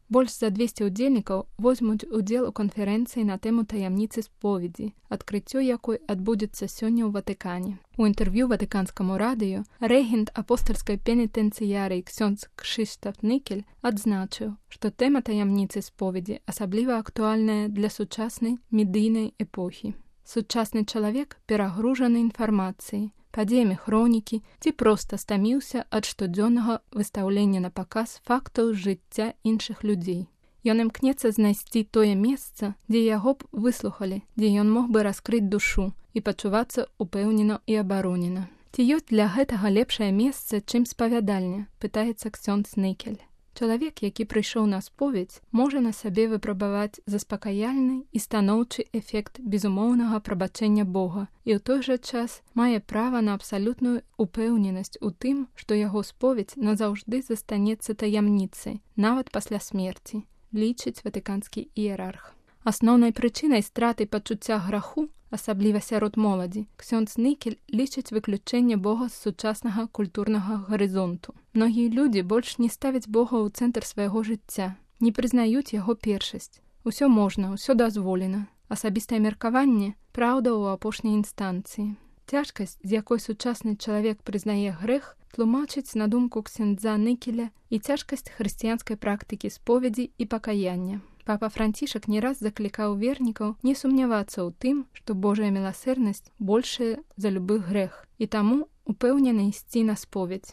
Больш за 200 удзельнікаў возьмуць удзел у канферэнцыі на тэму таямніцы споведзі, адкрыццё якой адбудзецца сёння ў Ватыкане. У інтэрв'ю ватыканскаму радыё рэгент апостальскай пенітэнцыярыі ксёндз Крzysztof Нікель адзначыў, што тэма таямніцы споведзі асабліва актуальная для сучаснай медыйнай эпохі. Сучасны чалавек перагружаны інфармацыяй, падзеямі хронікі ці проста стаміўся ад штодзённага выстаўлення на паказ фактаў жыцця іншых людзей. Ён імкнецца знайсці тое месца, дзе яго б выслухалі, дзе ён мог бы раскрыць душу і пачувацца упэўнена і абаронена. Ці ёсць для гэтага лепшае месца, чым спавядальня, пытаецца ксёндз Нікель. Чалавек, які прыйшоў на споведь, можа на сабе выпрабаваць заспакаяльны і станоўчы эфект безумоўнага прабачэння Бога і ў той жа час мае права на абсалютную упэўненасць у тым, што яго споведь назаўжды застанецца таямніцай, нават пасля смерці, лічыць ватыканскі іерарх. Асноўнай прычынай страты пачуцця граху, асабліва сярод моладзі, ксёндз Нікель лічыць выключэнне Бога з сучаснага культурнага гарызонту. Многія людзі больш не ставяць Бога ў цэнтр свайго жыцця, не прызнаюць яго першасць. Усё можна, усё дазволена. Асабістае меркаванне – праўда ў апошняй інстанцыі. Цяжкасць, з якой сучасны чалавек прызнае грэх, тлумачыць на думку ксёндза Нікеля і цяжкасць хрысціянскай практыкі споведзі і пакаяння. Папа Францішак не раз заклікаў вернікаў не сумнявацца ў тым, што Божая міласэрнасць большая за любы грэх, і таму упэўнена ісці на споведь.